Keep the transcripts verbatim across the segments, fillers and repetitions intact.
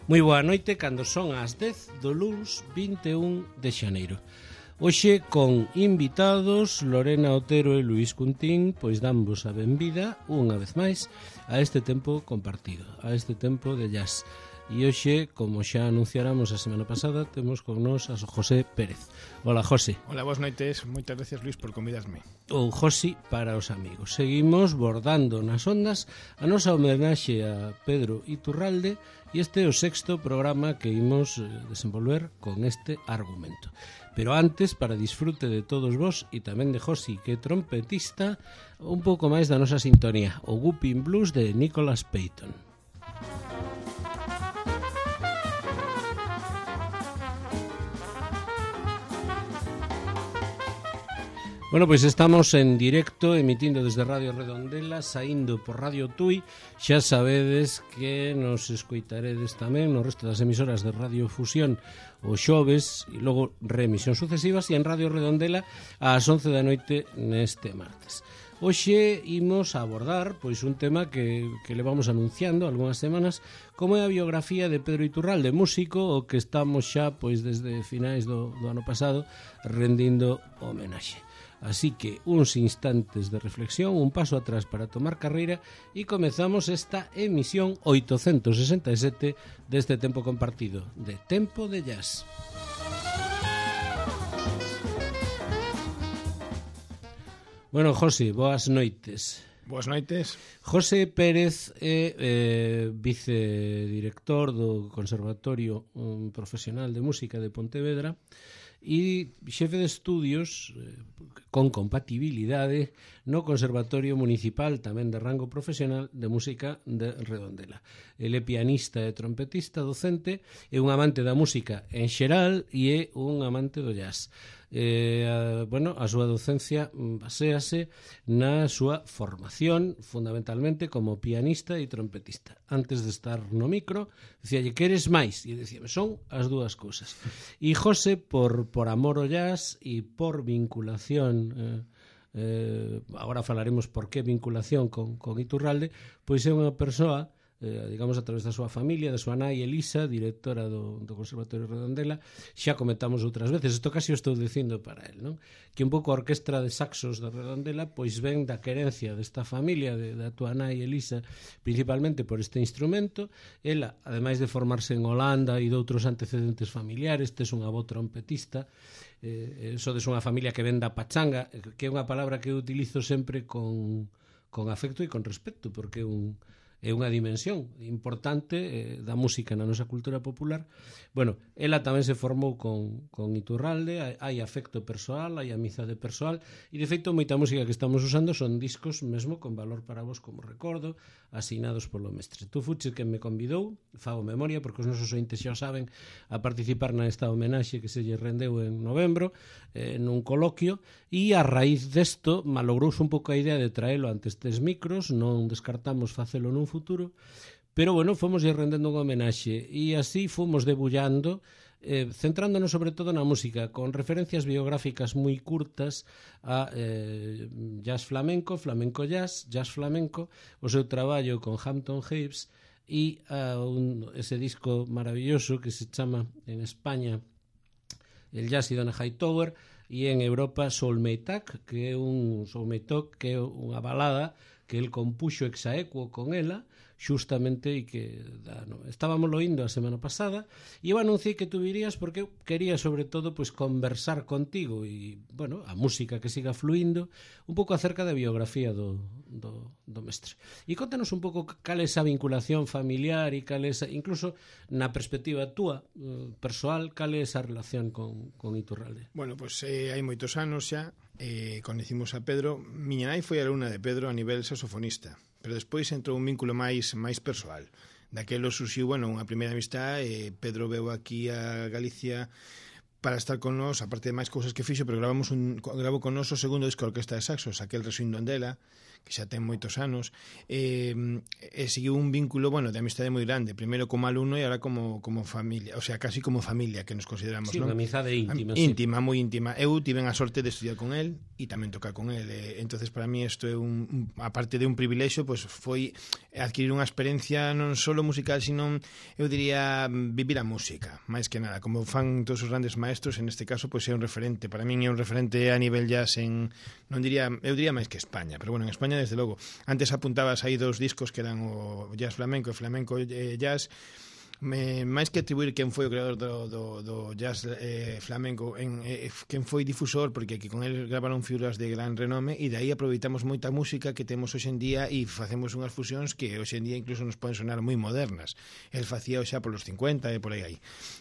Moi boa noite cando son as dez do luns vinte e un de xaneiro. Hoxe con invitados Lorena Otero e Luís Cuntín, pois damos a benvida unha vez máis a este tempo compartido, a este tempo de jazz. E hoxe, como xa anunciáramos a semana pasada, temos con nós a José Pérez. Hola, José. Hola, boas noites. Moitas gracias, Luís, por convidarme. Ou Josi para os amigos. Seguimos bordando nas ondas a nosa homenaxe a Pedro Iturralde e este é o sexto programa que imos desenvolver con este argumento. Pero antes, para disfrute de todos vos e tamén de Josi, que é trompetista, un pouco máis da nosa sintonía, o Whooping Blues de Nicholas Payton. Bueno, pois estamos en directo, emitindo desde Radio Redondela, saindo por Radio Tui. Xa sabedes que nos escoitaredes tamén no resto das emisoras de Radio Fusión o xoves e logo reemisións sucesivas e en Radio Redondela ás once da noite neste martes. Hoxe imos a abordar pois un tema que, que levamos anunciando algunhas semanas, como é a biografía de Pedro Iturralde, músico o que estamos xa pois desde finais do, do ano pasado rendindo homenaxe. Así que uns instantes de reflexión, un paso atrás para tomar carreira e comezamos esta emisión oitocentos sesenta e sete deste tempo compartido, de Tempo de Jazz. Bueno, José, boas noites. Boas noites. José Pérez é eh, vicedirector do Conservatorio um, Profesional de Música de Pontevedra e xefe de estudios eh, con compatibilidade no Conservatorio Municipal tamén de rango profesional de música de Redondela. Ele é pianista e trompetista docente, é un amante da música en xeral e é un amante do jazz. Eh, a, bueno, a súa docencia baséase na súa formación fundamentalmente como pianista e trompetista. Antes de estar no micro dicíalle, que eres máis? E dicíame, son as dúas cousas. E José, por, por amor ao jazz e por vinculación eh, eh, agora falaremos por que vinculación con, con Iturralde, pois é unha persoa Eh, digamos a través da súa familia, da súa nai Elisa, directora do, do Conservatorio Redondela. Xa comentamos outras veces, isto casi o estou dicindo para el, non? Que un pouco a orquestra de saxos da Redondela pois ven da querencia desta familia, de, da túa nai Elisa, principalmente por este instrumento. Ela, ademais de formarse en Holanda e de outros antecedentes familiares, tes unha avó trompetista, eh, sodes unha familia que ven da pachanga, que é unha palabra que eu utilizo sempre con, con afecto e con respeto, porque é un é unha dimensión importante eh, da música na nosa cultura popular. Bueno, ela tamén se formou con, con Iturralde, hai, hai afecto persoal, hai amizade persoal, e de feito moita música que estamos usando son discos mesmo con valor para vos como recordo, asinados polo mestre. Tú fuches que me convidou, fago memoria, porque os nosos ointes xa o saben, a participar nesta homenaxe que se lle rendeu en novembro, eh, nun coloquio, e a raíz desto malogrouse un pouco a idea de traelo ante estes micros, non descartamos facelo nun futuro, pero bueno, fomos ir rendendo unha homenaxe e así fomos debullando, eh, centrándonos sobre todo na música, con referencias biográficas moi curtas a eh, jazz flamenco, flamenco jazz, jazz flamenco, o seu traballo con Hampton Hibbs e a un, ese disco maravilloso que se chama en España El Jazz y Donna Hightower, e en Europa Soulmate, que é un Soulmate, que é unha balada que el compuxo exaequo con ela, xustamente, e que da, no, estábamos loindo a semana pasada, e eu anunciei que tú virías porque eu quería sobre todo pois conversar contigo e, bueno, a música que siga fluindo un pouco acerca da biografía do, do, do mestre. E contanos un pouco cal é esa vinculación familiar e cal é esa, incluso na perspectiva túa uh, persoal, cal é esa relación con, con Iturralde. Bueno, pois pues, eh, hai moitos anos xa eh, conhecimos a Pedro. Miña nai foi alumna de Pedro a nivel saxofonista, pero despois entrou un vínculo máis máis persoal. Daquelo surxiu, bueno, unha primeira amistad, e Pedro veu aquí a Galicia para estar con nós, aparte de máis cousas que fixo, pero gravamos un, gravo con nós o segundo disco de Orquesta de Saxos, aquel Resuindo Andela, que xa ten moitos anos, eh, e seguiu un vínculo, bueno, de amistade moi grande, primeiro como alumno e ahora como, como familia, o sea, casi como familia que nos consideramos, sí, non? Unha amizade íntima, íntima, sí. moi íntima. Eu tiven a sorte de estudiar con el e tamén tocar con el, eh, entonces para mí isto é un, un aparte de un privilexio, pois pues, foi adquirir unha experiencia non só musical, sino, eu diría, vivir a música, máis que nada, como fan todos os grandes maestros, en este caso, pois pues, é un referente, para min é un referente a nivel jazz en, non diría, eu diría máis que España, pero bueno, en España desde logo. Antes apuntabas aí dos discos que eran o jazz flamenco e flamenco eh, jazz. Me, máis que atribuir quen foi o creador do, do, do jazz eh, flamenco en, eh, quen foi difusor, porque que con el gravaron figuras de gran renome e de aí aproveitamos moita música que temos hoxe en día e facemos unhas fusións que hoxe en día incluso nos poden sonar moi modernas. El facía xa polos cincuenta e por aí aí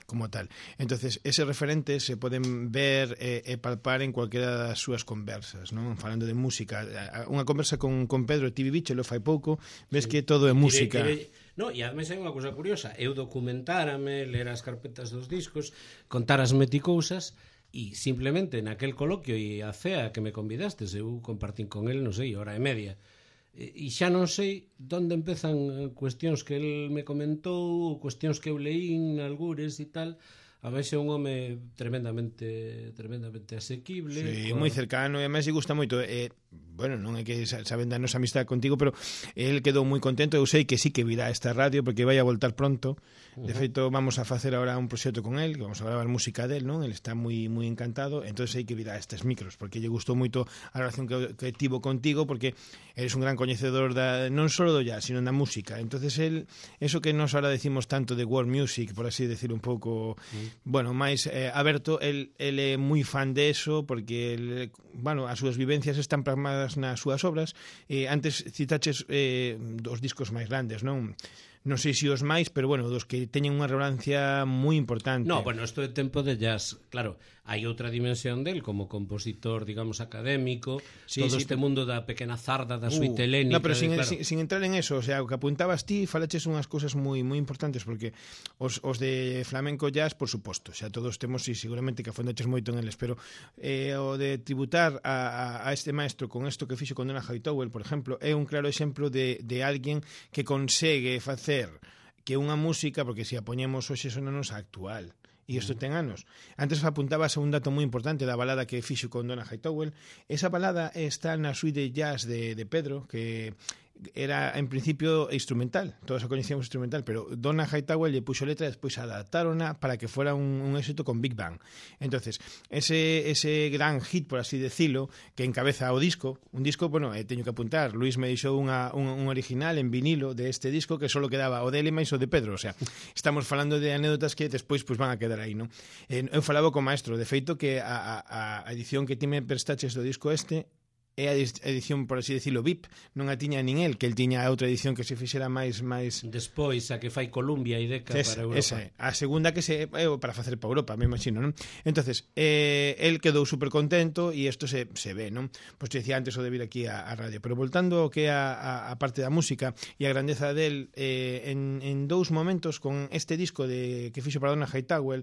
como tal. Entonces eses referentes se poden ver e, e palpar en cualquiera das súas conversas, non? Falando de música, unha conversa con, con Pedro Tibi Bicho lo fai pouco, ves sí, que todo é música. Tire, tire... No, e ademais hai unha cousa curiosa, eu documentárame, ler as carpetas dos discos, contárasme ti cousas, e simplemente naquel coloquio e a cea que me convidastes, eu compartín con el, non sei, hora e media, e xa non sei onde empezan cuestións que el me comentou, cuestións que eu leín, algures e tal. A veces é un home tremendamente tremendamente asequible, sí, moi cercano, e además lle gusta moito, eh, bueno, non é que saben da nosa amistade contigo, pero el quedou moi contento. Eu sei que sí que virá esta radio porque vai a voltar pronto. De feito, vamos a facer agora un proxecto con el, que vamos a gravar música del, non? El está moi moi encantado, entonces sei que virá estes micros, porque lle gustou moito a relación que, que tivo contigo, porque eres un gran coñecedor da, non só do jazz, sino da música. Entonces el, eso que nos ahora decimos tanto de world music, por así decir un pouco, mm. bueno, máis eh, aberto, el, el é moi fan de eso, porque el, bueno, as súas vivencias están plasmadas nas súas obras. Eh, antes citaches eh, dos discos máis grandes, non? Non sei se os máis, pero bueno, dos que teñen unha relevancia moi importante. No, bueno, isto é tempo de jazz, claro, hai outra dimensión del como compositor, digamos, académico, sí, todo sí, este mundo da pequena zarda, da uh, suite helénica. No, pero sin, claro. sin, sin entrar en eso, o sea, o que apuntabas ti, falaches unhas cousas moi moi importantes, porque os, os de flamenco jazz, por suposto, xa todos temos, e seguramente que afondaches moito en eles, pero eh, o de tributar a, a, a este maestro con isto que fixo con Donald Hightower, por exemplo, é un claro exemplo de, de alguén que consegue facer que unha música, porque se a poñemos hoxe sonanos actual, e isto ten anos. Antes apuntabas a un dato moi importante da balada que fixo con Donald Hightower. Esa balada está na suite de jazz de, de Pedro, que era en principio instrumental, todos a coñecíamos instrumental, pero Donald Hightower lle puxo letra e despois adaptarona para que fuera un, un éxito con Big Bang. Entonces, ese, ese gran hit, por así decirlo, que encabeza o disco, un disco, bueno, eh, teño que apuntar, Luis me deixou unha, un, un original en vinilo de este disco que solo quedaba o dele máis o de Pedro, o sea, estamos falando de anécdotas que despois pues, van a quedar aí, non? Eh, eu falaba co maestro, de feito que a, a, a edición que ti me prestaches do disco este é a edición, por así decirlo, V I P, non a tiña nin el, que el tiña outra edición que se fixera máis máis despois a que fai Columbia e Decca es, para Europa. Esa, a segunda que se é para facer para Europa, me imagino, non? Entonces, eh, el quedou super contento e isto se, se ve, non? Pois te decía antes o de vir aquí a, a radio, pero voltando ao que a, a, a parte da música e a grandeza del, eh, en, en dous momentos con este disco de que fixo para Donald Hightower,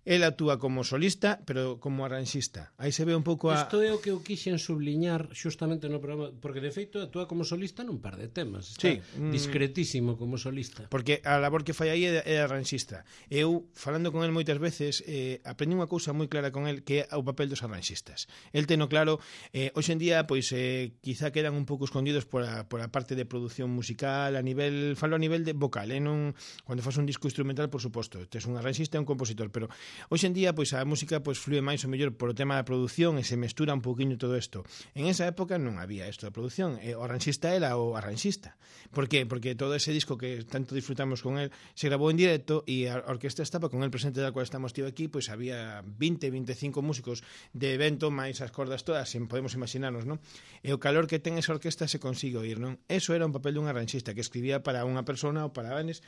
el actúa como solista, pero como arranxista. Aí se ve un pouco a... Isto é o que eu quixen subliñar xustamente no programa, porque de feito actúa como solista nun par de temas. Está sí, discretísimo como solista. Porque a labor que fai aí é, é arranxista. Eu, falando con el moitas veces, eh, aprendi unha cousa moi clara con el, que é o papel dos arranxistas. El teno claro, eh, hoxe en día, pois, eh, quizá quedan un pouco escondidos por a, por a parte de produción musical, a nivel, falo a nivel de vocal, eh, non, cando faz un disco instrumental, por suposto, tes un arranxista e un compositor, pero hoxe en día, pois, a música pois, flúe máis ou mellor por o tema da produción e se mestura un pouquiño todo isto. En esa época non había isto da produción, e o arranxista era o arranxista. Por qué? Porque todo ese disco que tanto disfrutamos con él se grabou en directo e a orquesta estaba con el presente, da cual estamos tío aquí, pois había vinte, veinticinco músicos de evento, máis as cordas todas, sen podemos imaginarnos, non? E o calor que ten esa orquesta se consigue oír, non? Eso era un papel dun arranxista que escribía para unha persona ou para vanes.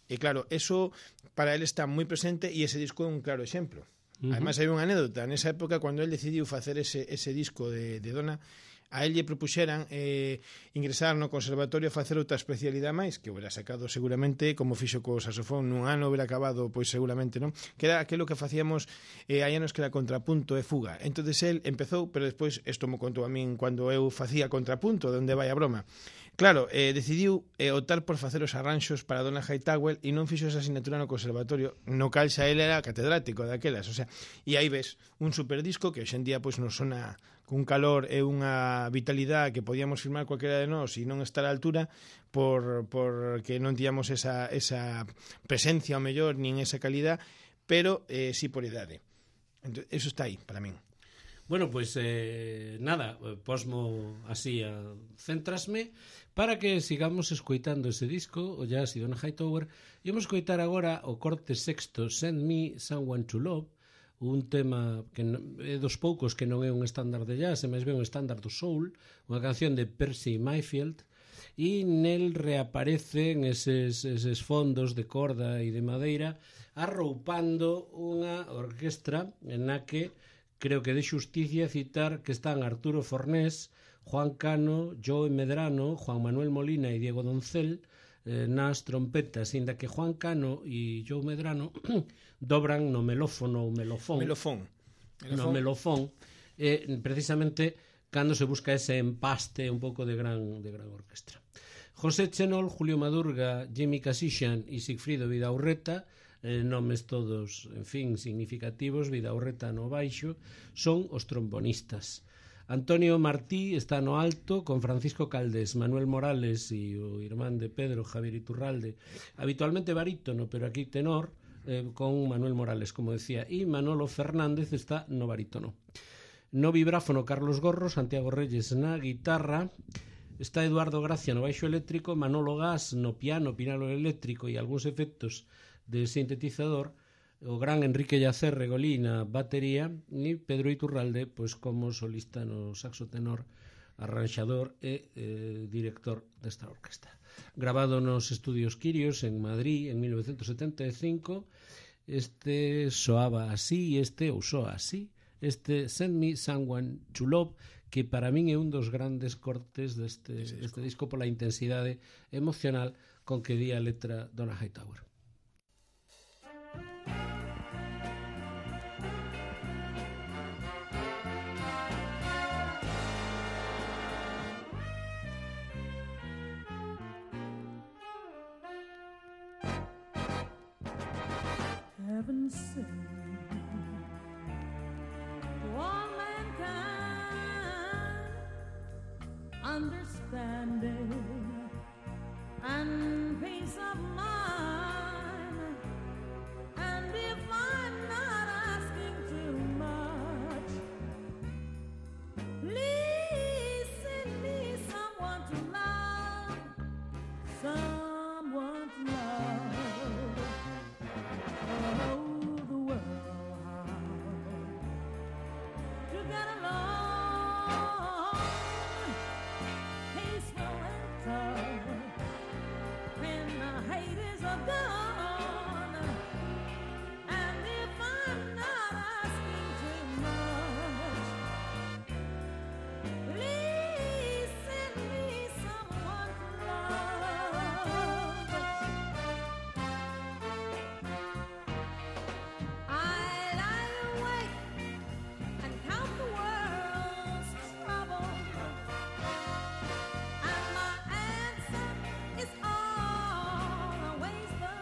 E claro, eso para él está moi presente e ese disco é un claro exemplo. Uh -huh. Además, hai unha anécdota. Nesa época, cando él decidiu facer ese, ese disco de, de Dona, a el lle propuxeran eh, ingresar no conservatorio a facer outra especialidade máis, que hubiera sacado seguramente, como fixo co saxofón nun ano, hubiera acabado, pois seguramente, non? Que era aquilo que facíamos eh, hai anos que era contrapunto e fuga. Entonces el empezou, pero despois, isto mo contou a min cando eu facía contrapunto, de onde vai a broma. Claro, eh, decidiu eh, optar por facer os arranxos para Donna Hightower e non fixo esa asignatura no conservatorio, no cal xa ele era catedrático daquelas, o sea, e aí ves un superdisco que hoxendía pois nos sona cun calor e unha vitalidade que podíamos firmar cualquera de nós e non estar á altura por, por que non tíamos esa, esa presencia ao mellor nin esa calidad, pero eh, sí por idade. Entón, eso está aí para min. Bueno, pois pues, eh, nada, posmo así a centrasme para que sigamos escoitando ese disco, o Jazz e Donna Hightower. E vamos escoitar agora o corte sexto, Send Me Someone to Love, un tema que é dos poucos que non é un estándar de jazz, é máis ben un estándar do soul, unha canción de Percy Mayfield, e nel reaparecen eses, eses fondos de corda e de madeira arroupando unha orquestra en na que creo que de xusticia citar que están Arturo Fornés, Juan Cano, Joe Medrano, Juan Manuel Molina e Diego Doncel eh, nas trompetas, inda que Juan Cano e Joe Medrano dobran no melófono ou melofón, melofón. melofón. no melofón eh, precisamente cando se busca ese empaste un pouco de gran, de gran orquestra. José Chenol, Julio Madurga, Jimmy Casixan e Sigfrido Vidaurreta, eh, nomes todos, en fin, significativos, Vidaurreta no baixo, son os trombonistas. Antonio Martí está no alto con Francisco Caldés, Manuel Morales e o irmán de Pedro, Javier Iturralde, habitualmente barítono, pero aquí tenor, eh, con Manuel Morales, como decía, e Manolo Fernández está no barítono. No vibráfono Carlos Gorro, Santiago Reyes na guitarra, está Eduardo Gracia no baixo eléctrico, Manolo Gas no piano, pinalo eléctrico e algúns efectos de sintetizador, o gran Enrique Yacer Regolí na batería e Pedro Iturralde pois como solista no saxo tenor, arranxador e eh, director desta orquesta. Grabado nos estudios Quirios en Madrid en mil novecientos setenta e cinco, este soaba así e este ou soa así, este Send Me Someone to Love, que para min é un dos grandes cortes deste, deste disco pola intensidade emocional con que di a letra Donna Hightower. Heaven sent all mankind understanding and peace of mind. And if I'm not asking too much, please send me someone to love, someone to love. Oh, the world, how to get along, peaceful and tough, when the hate is gone. And if I'm not asking too much, please send me someone to love. I lie awake and count the world's troubles, and my answer is always the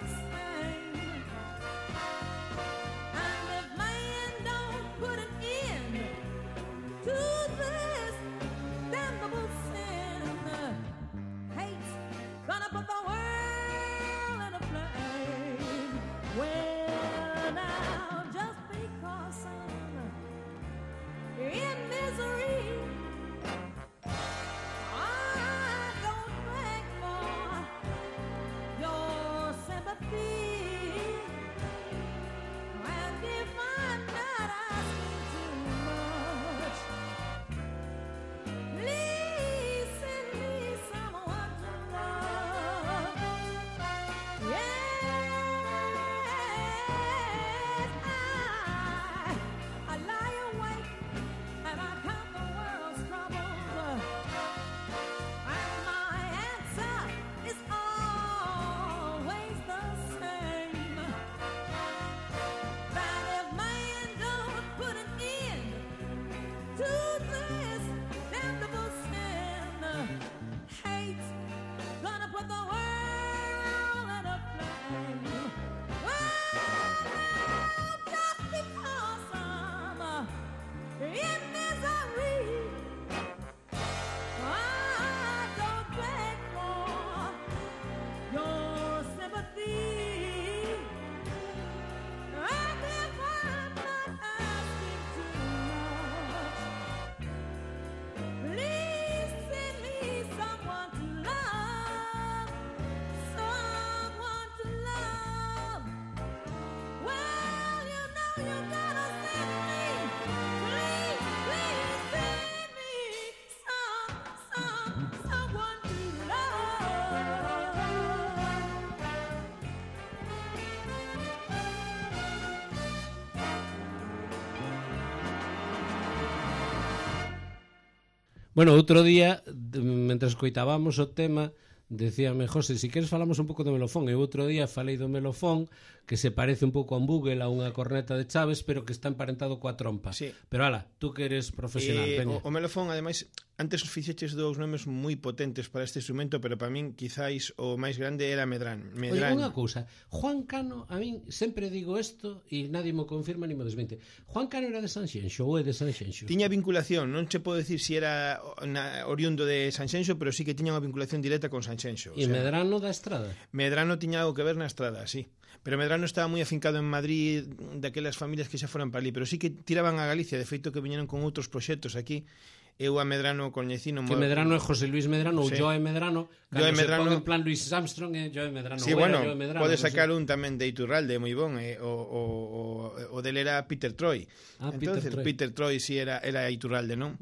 Bueno, outro día, de- mentre escoitábamos o tema, decíame, José, si queres falamos un pouco do melofón. E outro día falei do melofón, que se parece un pouco a un bugle, a unha corneta de Chaves, pero que está emparentado coa trompa. Sí. Pero ala, tú que eres profesional, Eh, veña. o, o melofón, ademais, antes fixeches dous nomes moi potentes para este instrumento, pero para min quizáis o máis grande era Medrán. Oye, Medrán. unha cousa, Juan Cano, a min sempre digo isto e nadie mo confirma ni mo desmente. Juan Cano era de Sanxenxo ou é de Sanxenxo? Tiña vinculación, non che podo decir si era na, oriundo de Sanxenxo, pero sí que tiña unha vinculación directa con Sanxenxo. E Medrano da Estrada? Medrano tiña algo que ver na estrada, sí. Pero Medrano estaba moi afincado en Madrid, daquelas familias que xa foran para ali, pero sí que tiraban a Galicia, de feito que viñeron con outros proxectos aquí. Eu a Medrano coñecino... Que Medrano é José Luis Medrano ou Sí. Joe Medrano, Joe cando se Medrano- pon en plan Luis Armstrong e Joe Medrano. Sí, ou bueno, era Joe Medrano, pode non sacar sei. un tamén de Iturralde moi bon, eh, o, o, o, o del era Peter Troy. Ah, Peter entonces Troy. Peter Troy si sí era era Iturralde, non?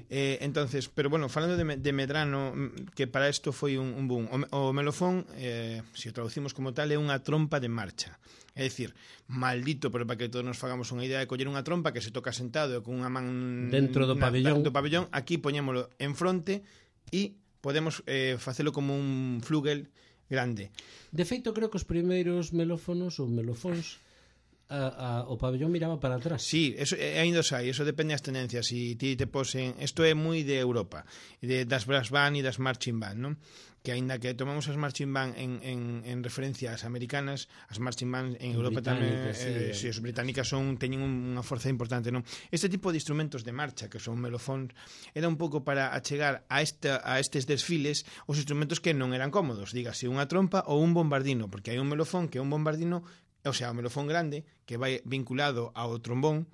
eh, entonces, pero bueno, falando de, de Medrano, mm, que para isto foi un, un boom. O, o melofón, eh, se o traducimos como tal, é unha trompa de marcha. É dicir, maldito, pero para que todos nos fagamos unha idea de coller unha trompa que se toca sentado e con unha man Dentro do na- pabellón. do pabellón, aquí poñémolo en fronte e podemos eh, facelo como un flugel grande. De feito, creo que os primeiros melófonos ou melofóns a, a, o pabellón miraba para atrás. Sí, eso eh, ainda os hai, eso depende das tendencias. Si ti te posen, isto é moi de Europa, de, das brass band e das marching band, non? Que aínda que tomamos as marching band en, en, en referencia ás americanas, as marching band en Europa tamén, Británicas, sí, eh, eh. si, as británicas son teñen unha forza importante, non? Este tipo de instrumentos de marcha, que son melofóns, era un pouco para achegar a, esta, a estes desfiles os instrumentos que non eran cómodos, dígase unha trompa ou un bombardino, porque hai un melofón que é un bombardino, o sea, o melofón grande, que vai vinculado ao trombón,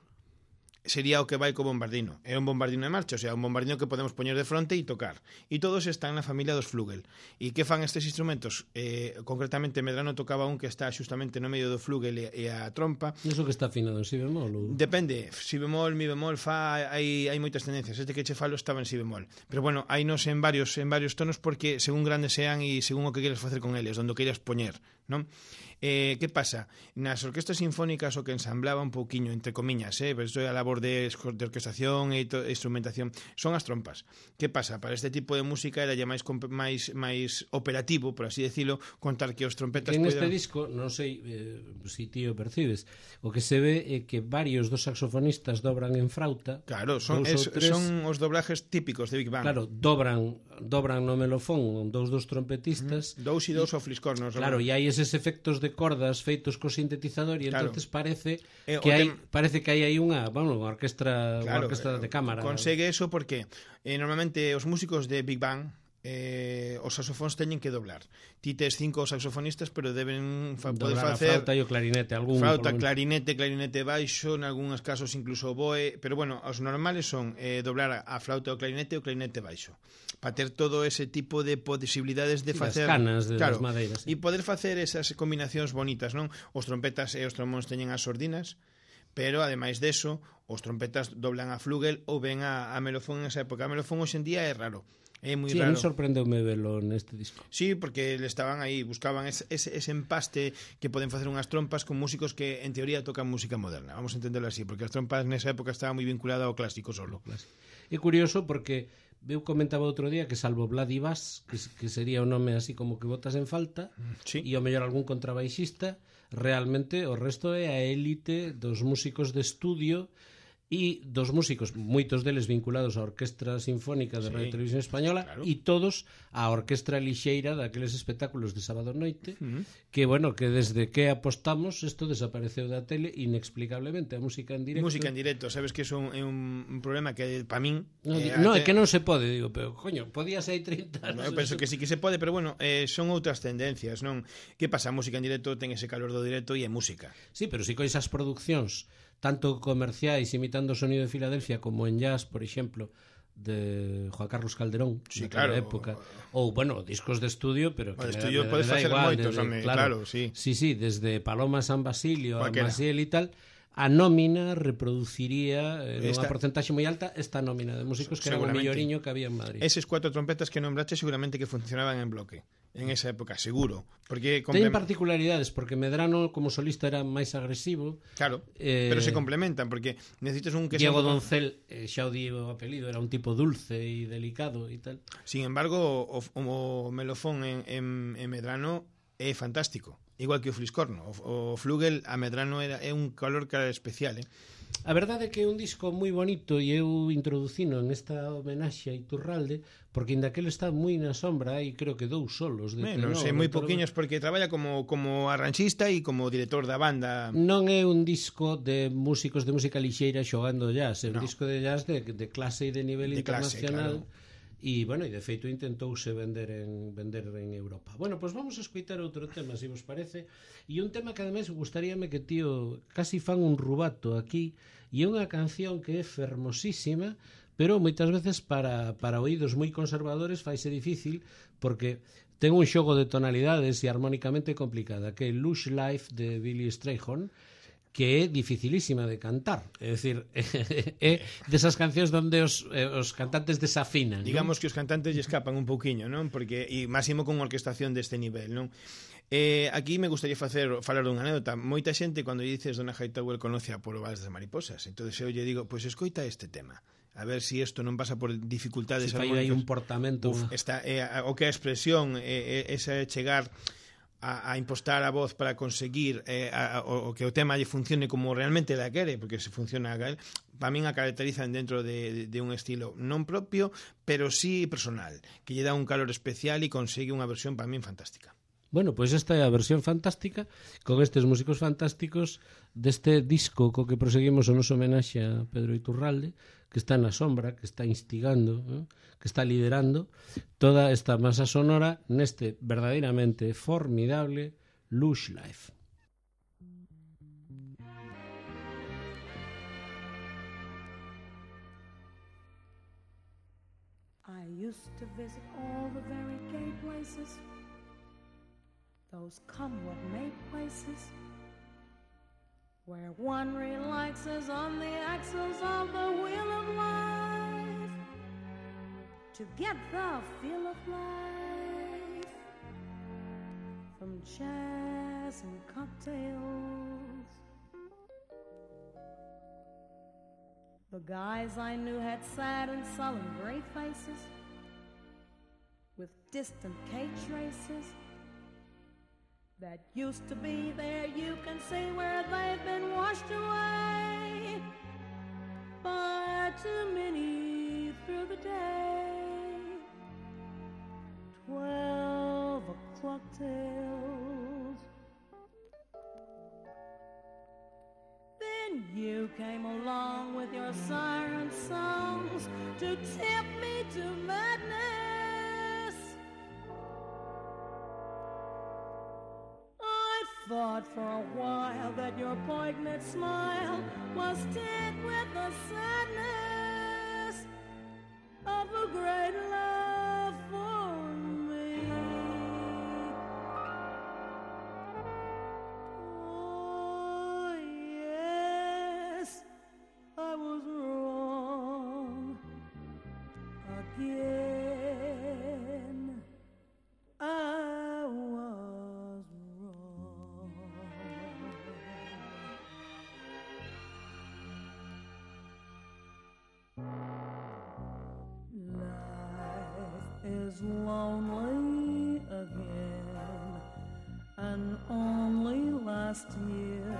sería o que vai co bombardino. É un bombardino de marcha, o sea, un bombardino que podemos poñer de fronte e tocar. E todos están na familia dos flugel. E que fan estes instrumentos? Eh, concretamente, Medrano tocaba un que está xustamente no medio do flugel e, e a trompa. Iso que está afinado en si bemol ou... Depende, si bemol, mi bemol, fa, hai, hai moitas tendencias. Este que che falo estaba en si bemol. Pero bueno, hai nos en varios en varios tonos porque según grandes sean e según o que queres facer con eles, onde o queres poñer, non? Eh, que pasa? Nas orquestas sinfónicas o que ensamblaba un pouquiño, entre comiñas, eh, pero isto é a labor de, de orquestación e to, instrumentación, son as trompas. Que pasa? Para este tipo de música era ya máis máis máis operativo, por así decirlo, contar que os trompetas Que neste poidan... disco, non sei eh, si ti o percibes, o que se ve é que varios dos saxofonistas dobran en frauta. Claro, son, dous es, ou tres, son os doblajes típicos de Big Bang. Claro, dobran dobran no melofón dous dos trompetistas. Mm, dous e dous ao fliscornos. Claro, e hai eses efectos de cordas feitos co sintetizador e Claro. entonces parece Eh, o que hai tem- parece que hai aí unha, bueno, unha orquestra, unha orquestra de cámara. Consegue eso porque eh, normalmente os músicos de Big Bang eh, os saxofóns teñen que doblar. Ti tes cinco saxofonistas, pero deben fa, poder dobrar a facer flauta e o clarinete, algún flauta, polo menos. clarinete, clarinete baixo, en algúns casos incluso oboe, pero bueno, os normales son eh, doblar a, a flauta, o clarinete e o clarinete baixo. Para ter todo ese tipo de posibilidades de Sí, das facer canas de claro, das madeiras, sí. e poder facer esas combinacións bonitas, non? Os trompetas e os trombóns teñen as sordinas, pero ademais deso, os trompetas doblan a flugel ou ven a, a melofón en esa época. A melofón hoxe en día é raro. É moi Sí, a raro. mí sorprendeume velo neste disco. Sí, porque le estaban aí, buscaban ese, ese, ese empaste que poden facer unhas trompas con músicos que en teoría tocan música moderna. Vamos a entenderlo así, porque as trompas nesa época estaban moi vinculadas ao clásico solo. É curioso porque eu comentaba outro día que salvo Vladivas, que, que sería o nome así como que botas en falta, Sí. e o mellor algún contrabaixista, realmente o resto é a élite dos músicos de estudio e dos músicos, moitos deles vinculados á Orquestra Sinfónica de Sí, Radio Televisión Española, claro. e todos á Orquestra Lixeira daqueles espectáculos de sábado noite, Uh -huh. que, bueno, que desde que apostamos isto desapareceu da tele inexplicablemente, a música en directo. Música en directo, sabes que é un, é un, un problema que para min No, eh, no, é até- que non se pode, digo, pero coño, podías hai trinta No, anos. eu penso que sí que se pode, pero bueno, eh, son outras tendencias, non? Que pasa? A música en directo ten ese calor do directo e é música. Sí, pero si cois as produccións tanto comerciais imitando o sonido de Filadelfia como en jazz, por exemplo, de Juan Carlos Calderón, Sí, naquela claro. época, ou, bueno, discos de estudio, pero O de que me- estudio me- podes me da facer igual, moitos, desde- home, claro, sí. Sí, sí, desde Paloma San Basilio a Cualquera. Maciel e tal, a nómina reproduciría eh, nunha Esta- porcentaxe moi alta esta nómina de músicos que era o Seguramente. melloriño que había en Madrid. Eses cuatro trompetas que nombraste seguramente que funcionaban en bloque. en esa época, seguro. Porque Teñen complem- particularidades, porque Medrano como solista era máis agresivo. Claro, Eh, pero se complementan, porque necesitas un que sea Diego un poco- Doncel, eh, xa o di o apelido, era un tipo dulce e delicado e tal. Sin embargo, o, o melofón en, en, en Medrano é fantástico, igual que o Fliscorno. O, o Flugel a Medrano era, é un calor cara especial, eh? A verdade é que é un disco moi bonito e eu introducino en esta homenaxe a Iturralde porque ainda que ele está moi na sombra hai creo que dous solos de Bueno, tenor, sei moi doutor- poquinhos porque traballa como, como arranxista e como director da banda. Non é un disco de músicos de música lixeira xogando jazz, é un No. disco de jazz de, de clase e de nivel De clase, internacional. claro. E, bueno, e de feito intentouse vender en vender en Europa. Bueno, pois pues vamos a escoitar outro tema, se vos parece. E un tema que ademais gustaríame que tío casi fan un rubato aquí, e é unha canción que é fermosísima, pero moitas veces para, para oídos moi conservadores faise difícil porque ten un xogo de tonalidades e armónicamente complicada, que é Lush Life de Billy Strayhorn, que é dificilísima de cantar. É dicir, é desas cancións onde os, eh, os cantantes desafinan. Digamos que os cantantes lle escapan un pouquiño, non? Porque e máximo con orquestación deste nivel, non? Eh, aquí me gustaría facer falar dunha anécdota. Moita xente cando lle dices Donna Hightower conoce a Polo Vals das Mariposas. Entonces eu lle digo, pois pues, escoita este tema. A ver si isto non pasa por dificultades Se fai aí armónicas. un portamento. Uf, esta, eh, o que é a expresión, eh, eh, esa é chegar a, a impostar a voz para conseguir eh, a, a, o, o que o tema lle funcione como realmente la quere, porque se funciona a él, para min a caracterizan dentro de, de, de un estilo non propio, pero sí personal, que lle dá un calor especial e consigue unha versión para min fantástica. Bueno, pois esta é a versión fantástica con estes músicos fantásticos deste disco co que proseguimos o noso homenaxe a Pedro Iturralde, que está na sombra, que está instigando, ¿eh? Que está liderando toda esta masa sonora neste verdadeiramente formidable Lush Life. I used to visit all the very gay places, those come what may places, where one relaxes on the axles of the wheel of life to get the feel of life from jazz and cocktails. The guys I knew had sad and sullen gray faces with distant cage races that used to be there. You can see where they've been washed away by too many through the day. Twelve o'clock tales. Then you came along with your siren songs to tempt me to madness. I thought for a while that your poignant smile was tinged with the sadness of a great love for me. Oh, yes, I was wrong again. I was wrong. Life is lonely again, and only last year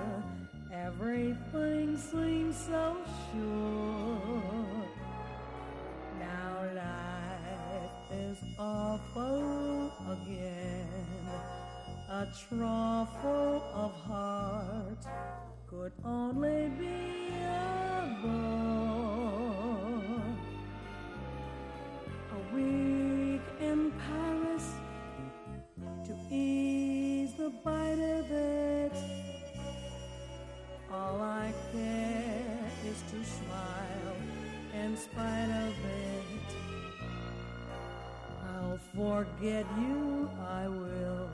everything seemed so sure. Now life is awful again, a trough full of heart could only be a bore. A week in Paris to ease the bite of it. All I care is to smile in spite of it. I'll forget you, I will,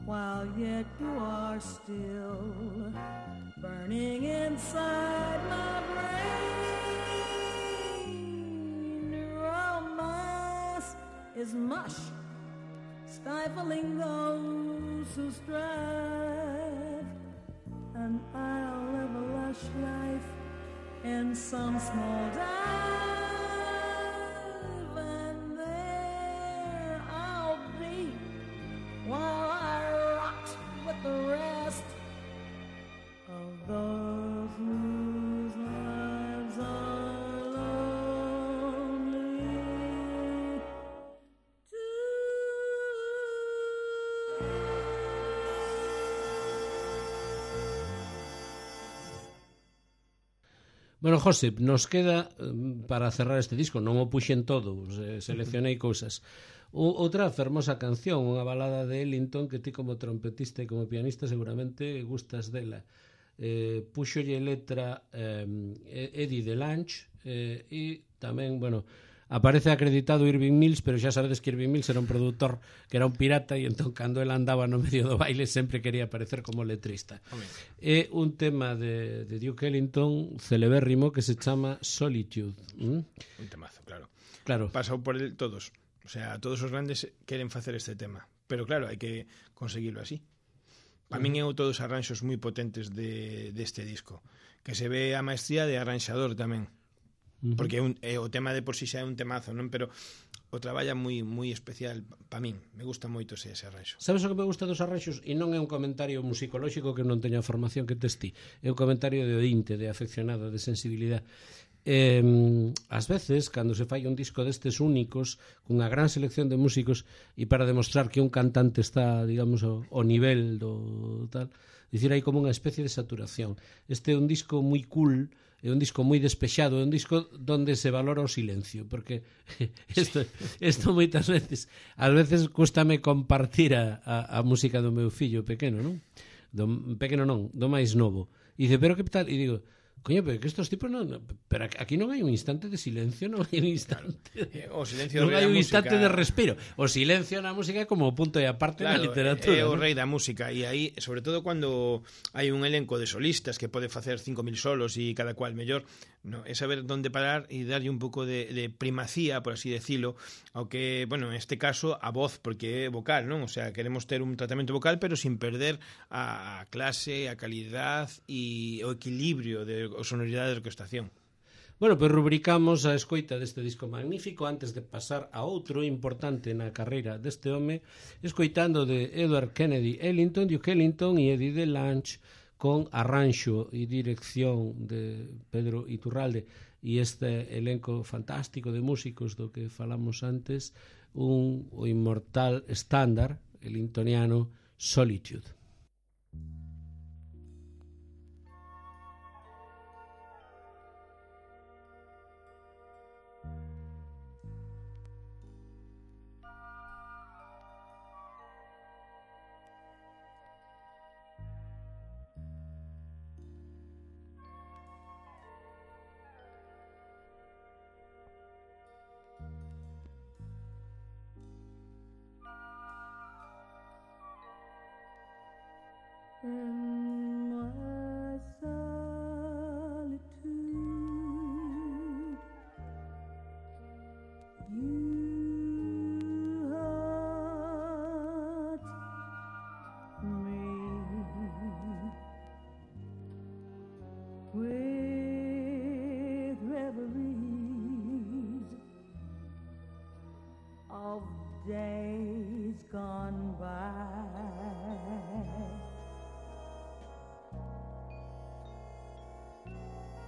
while yet you are still burning inside my brain. Romance is mush, stifling those who strive, and I'll live a lush life in some small dive, and there I'll be while I rock with the rest of those whose lives are lonely too. Bueno, José, nos queda para cerrar este disco, non o puxen todo, seleccionei cousas. O, outra fermosa canción, unha balada de Ellington que ti como trompetista e como pianista seguramente gustas dela. Eh, puxolle letra eh, Eddie DeLange eh, e tamén, bueno, aparece acreditado Irving Mills, pero xa sabedes que Irving Mills era un produtor que era un pirata e entón cando el andaba no medio do baile sempre quería aparecer como letrista. É un tema de, de Duke Ellington celebérrimo que se chama Solitude. ¿Mm? Un temazo, claro. Claro. Pasou por el todos. O sea, todos os grandes queren facer este tema. Pero claro, hai que conseguirlo así. Para uh -huh. min é un todos arranxos moi potentes de, deste disco. Que se ve a maestría de arranxador tamén. Uh -huh. Porque é un, é, o tema de por si xa é un temazo, non? Pero o traballa moi moi especial para min. Me gusta moito ese, ese arranxo. Sabes o que me gusta dos arranxos? E non é un comentario musicolóxico que non teña formación que tes ti. É un comentario de ointe, de afeccionado, de sensibilidade. Eh, ás veces, cando se fai un disco destes únicos, cunha gran selección de músicos, e para demostrar que un cantante está, digamos, ao, ao nivel do tal, dicir, hai como unha especie de saturación. Este é un disco moi cool, é un disco moi despexado, é un disco donde se valora o silencio, porque isto, isto moitas veces, ás veces cústame compartir a, a, a música do meu fillo pequeno, non? Do, pequeno non, do máis novo. E dice, pero que tal? E digo, coño, pero que estos tipos non, pero aquí non hai un instante de silencio, non hai un instante de, o silencio non hai un instante de respiro. O silencio na música é como o punto e aparte claro, na literatura. É o ¿no? rei da música e aí, sobre todo cando hai un elenco de solistas que pode facer cinco mil solos e cada cual mellor, no, é saber onde parar e darlle un pouco de, de primacía, por así decirlo, ao que, bueno, en este caso a voz, porque é vocal, non? O sea, queremos ter un tratamento vocal pero sin perder a clase, a calidad e o equilibrio de o sonoridade de orquestación. Bueno, pois rubricamos a escoita deste disco magnífico antes de pasar a outro importante na carreira deste home, escoitando de Edward Kennedy Ellington, Duke Ellington e Eddie DeLange con arranxo e dirección de Pedro Iturralde e este elenco fantástico de músicos do que falamos antes, un o inmortal estándar ellingtoniano Solitude. In my solitude, you haunt me with reveries of days gone by.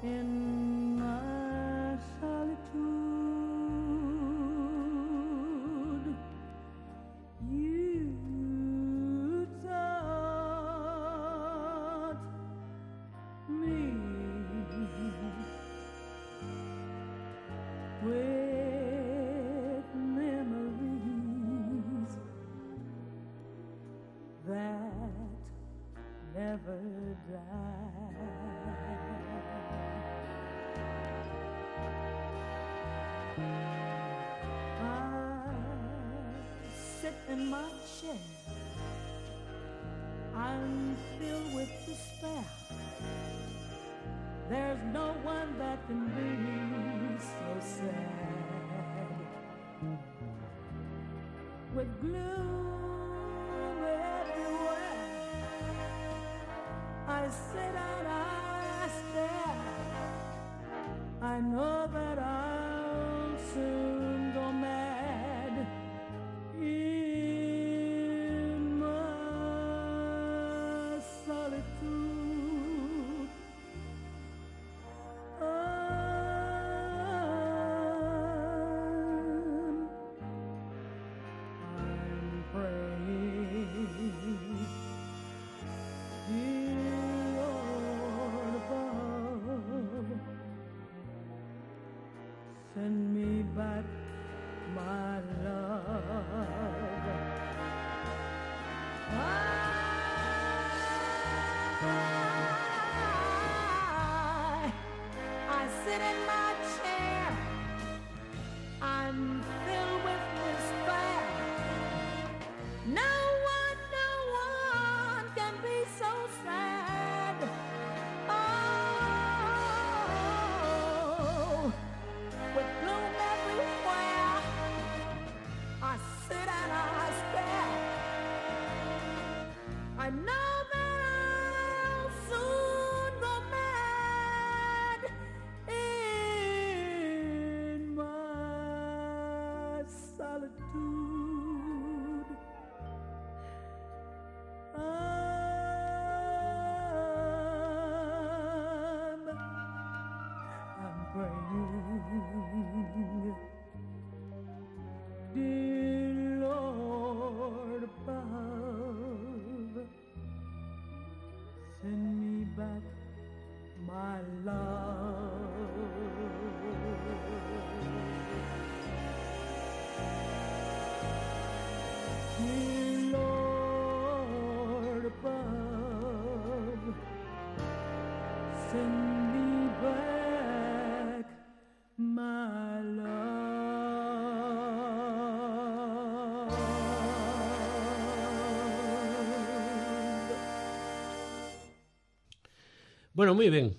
In my solitude, you taught me with memories that never die. Sit in my chair, I'm filled with despair. There's no one that can be so sad. With gloom I sit and I stare. I know that I'll soon go mad in my solitude. I'm, I'm praying, dear Lord above, send me back my love. I, I sit in my chair. I'm filled with despair. No one, no one can be so sad. Oh, with gloom everywhere, I sit and I stare. I know that I'll soon go mad in my solitude. I'm, I'm praying, dear Lord above, send me back my love. Dear Lord above, send me back my love. Bueno, moi ben.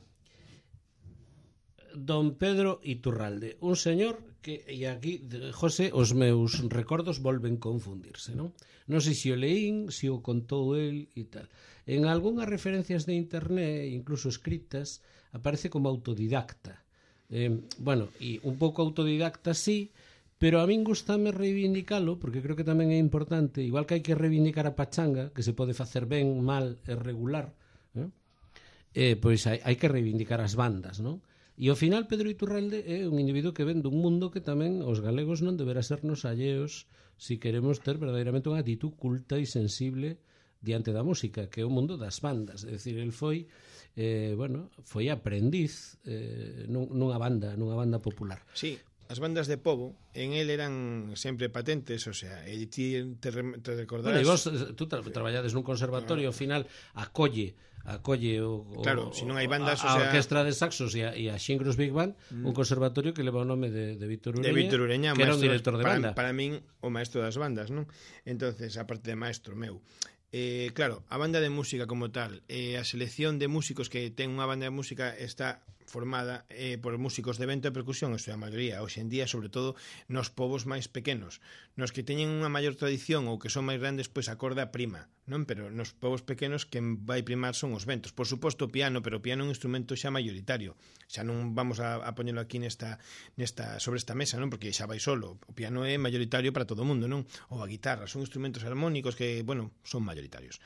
Don Pedro Iturralde, un señor que, e aquí, José, os meus recordos volven confundirse, non? Non sei se o leín, se o contou el e tal. En algunhas referencias de internet, incluso escritas, aparece como autodidacta. Eh, bueno, e un pouco autodidacta sí, pero a min gustame reivindicalo, porque creo que tamén é importante, igual que hai que reivindicar a pachanga, que se pode facer ben, mal e regular, eh? Eh, pois hai, hai que reivindicar as bandas, non? E ao final Pedro Iturralde é un individuo que ven dun mundo que tamén os galegos non deberá sernos alleos si queremos ter verdadeiramente unha actitud culta e sensible diante da música, que é o mundo das bandas. É dicir, el foi eh, bueno, foi aprendiz eh, nunha banda, nunha banda popular. Sí, as bandas de pobo en el eran sempre patentes, o sea, e ti te, te recordarás... Bueno, e vos, tú tra traballades nun conservatorio, ao final acolle acolle o, o, claro, se non hai bandas, a, o sea... a orquestra de saxos e a, e a Xingros Big Band, mm. un conservatorio que leva o nome de, de Víctor Ureña, de Víctor Ureña, que era un director de para, banda. Para min, o maestro das bandas, non? Entonces, aparte de maestro meu, eh, claro, a banda de música como tal, eh, a selección de músicos que ten unha banda de música está formada eh, por músicos de vento e percusión, isto é a maioría, hoxe en día, sobre todo nos povos máis pequenos, nos que teñen unha maior tradición ou que son máis grandes, pois a corda prima, non? Pero nos povos pequenos quen vai primar son os ventos. Por suposto o piano, pero o piano é un instrumento xa maioritario. Xa non vamos a, a poñelo aquí nesta, nesta sobre esta mesa, non? Porque xa vai solo. O piano é maioritario para todo o mundo, non? Ou a guitarra, son instrumentos armónicos que, bueno, son maioritarios.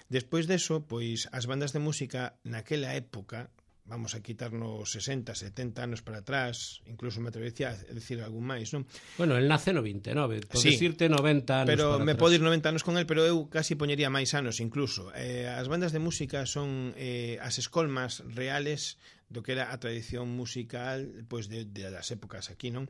Despois deso, pois as bandas de música naquela época, vamos a quitarnos sesenta, setenta anos para atrás, incluso me atrevería a decir algún máis, non? Bueno, el nace no vinte e nove, podes sí, irte noventa anos pero para me atrás. podo ir noventa anos con el, pero eu casi poñería máis anos incluso. Eh, as bandas de música son eh, as escolmas reales do que era a tradición musical pois de, de das épocas aquí, non?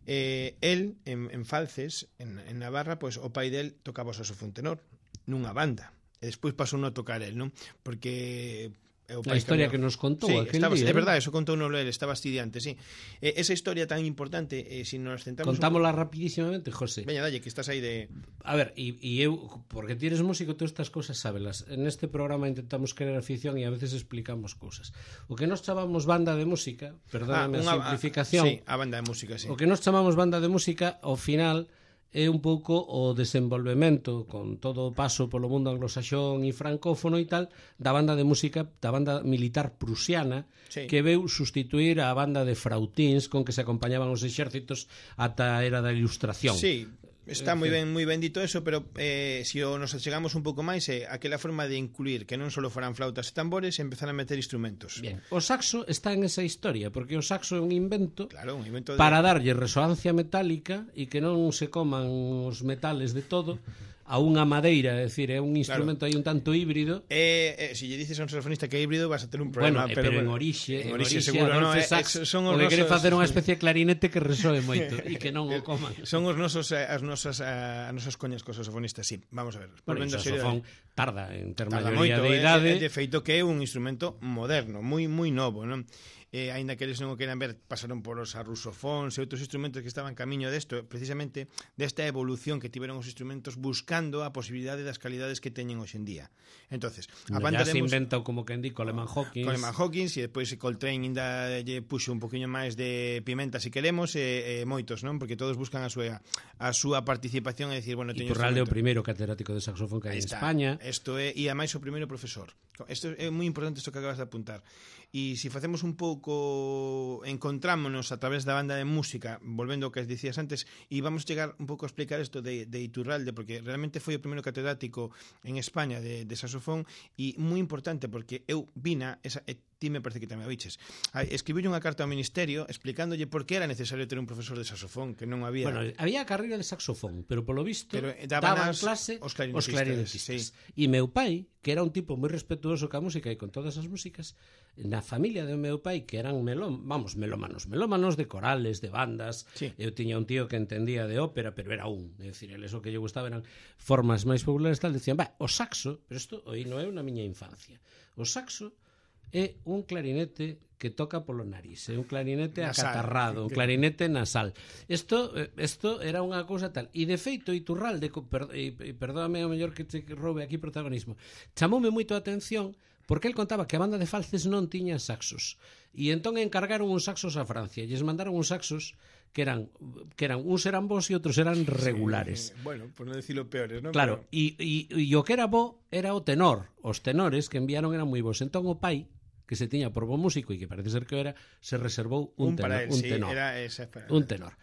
Eh, el, en, en Falces, en, en Navarra, pois o pai del tocaba o saxofón tenor nunha banda, e despois pasou a tocar el, non? Porque a historia que nos contou sí, aquel estaba, día. É verdade, eso contou no él, estaba estudiante, sí. Eh, esa historia tan importante, eh, si nos centramos... Contámola un... rapidísimamente, José. Veña, dalle, que estás aí de... A ver, e, e eu, porque ti eres músico, todas estas cousas sábelas. En este programa intentamos crear afición e a veces explicamos cousas. O que nos chamamos banda de música, perdóname ah, a simplificación... Sí, a banda de música, sí. O que nos chamamos banda de música, ao final... é un pouco o desenvolvemento con todo o paso polo mundo anglosaxón e francófono e tal da banda de música, da banda militar prusiana, sí, que veu sustituir a banda de frautins con que se acompañaban os exércitos ata a era da Ilustración. Sí, está moi ben, moi ben dito eso, pero eh, se si nos achegamos un pouco máis é eh, aquela forma de incluir que non só foran flautas e tambores e empezar a meter instrumentos. Bien. O saxo está en esa historia, porque o saxo é un invento, claro, un invento de... para darlle resoancia metálica e que non se coman os metales de todo a unha madeira, é dicir, é un instrumento aí un tanto híbrido. Eh, eh, se lle dices a un saxofonista que é híbrido vas a ter un problema, bueno, pero, pero bueno, en orixe, en orixe, orixe seguro, no, eh, sax, son os o que nosos... quere facer unha especie de clarinete que resoe moito e que non o coman. Son os nosos as nosas as nosas coñas cos saxofonistas, sí. Vamos a ver. Bueno, o saxofón tarda en ter tarda maioría moito, de idade. Eh, de feito que é un instrumento moderno, moi moi novo, non? Eh, aínda que eles non o queran ver, pasaron por os rusofóns e outros instrumentos que estaban camiño desto, precisamente desta evolución que tiveron os instrumentos buscando a posibilidade das calidades que teñen hoxe en día. Entonces, a banda se inventa como que indico Coleman Hawkins. Coleman Hawkins e depois Coltrane ainda lle puxo un poquinho máis de pimenta se queremos e, e moitos, non? Porque todos buscan a súa a súa participación e decir, bueno, teño Iturralde o primeiro catedrático de saxofón que hai en España. Isto é e a máis o primeiro profesor. Isto é moi importante isto que acabas de apuntar. E se facemos un pouco, encontrámonos a través da banda de música, volvendo ao que dicías antes, e vamos chegar un pouco a explicar isto de, de Iturralde, porque realmente foi o primeiro catedrático en España de, de saxofón, e moi importante, porque eu vina, esa, e ti me parece que tamén a viches, escribiu unha carta ao Ministerio explicándolle por que era necesario ter un profesor de saxofón, que non había... Bueno, había carreira de saxofón, pero polo visto pero daban, daban as, clase os clarinetistas. Os clarinetistas. Sí. E meu pai, que era un tipo moi respetuoso ca música e con todas as músicas, na familia do meu pai, que eran melón, vamos, melómanos, melómanos de corales, de bandas. Sí. Eu tiña un tío que entendía de ópera, pero era un, é dicir, eles o que lle gustaba eran formas máis populares, tal, decían, va, o saxo, pero isto aí non é na miña infancia. O saxo é un clarinete que toca polo nariz, é un clarinete nasal, acatarrado, un clarinete nasal. Isto isto era unha cousa tal. E de feito Iturralde, e perdóame o mellor que te roube aquí protagonismo, chamoume moito a atención porque el contaba que a banda de Falces non tiña saxos. E entón encargaron uns saxos a Francia, e lles mandaron uns saxos que eran que eran uns eran bons e outros eran regulares. Sí, bueno, por non decirlo peores, non? Claro, e e o que era bo era o tenor. Os tenores que enviaron eran moi bons. Entón o pai, que se tiña por bo músico e que parece ser que era, se reservou un, un tenor, él, un sí, tenor. Era esa, un tenor.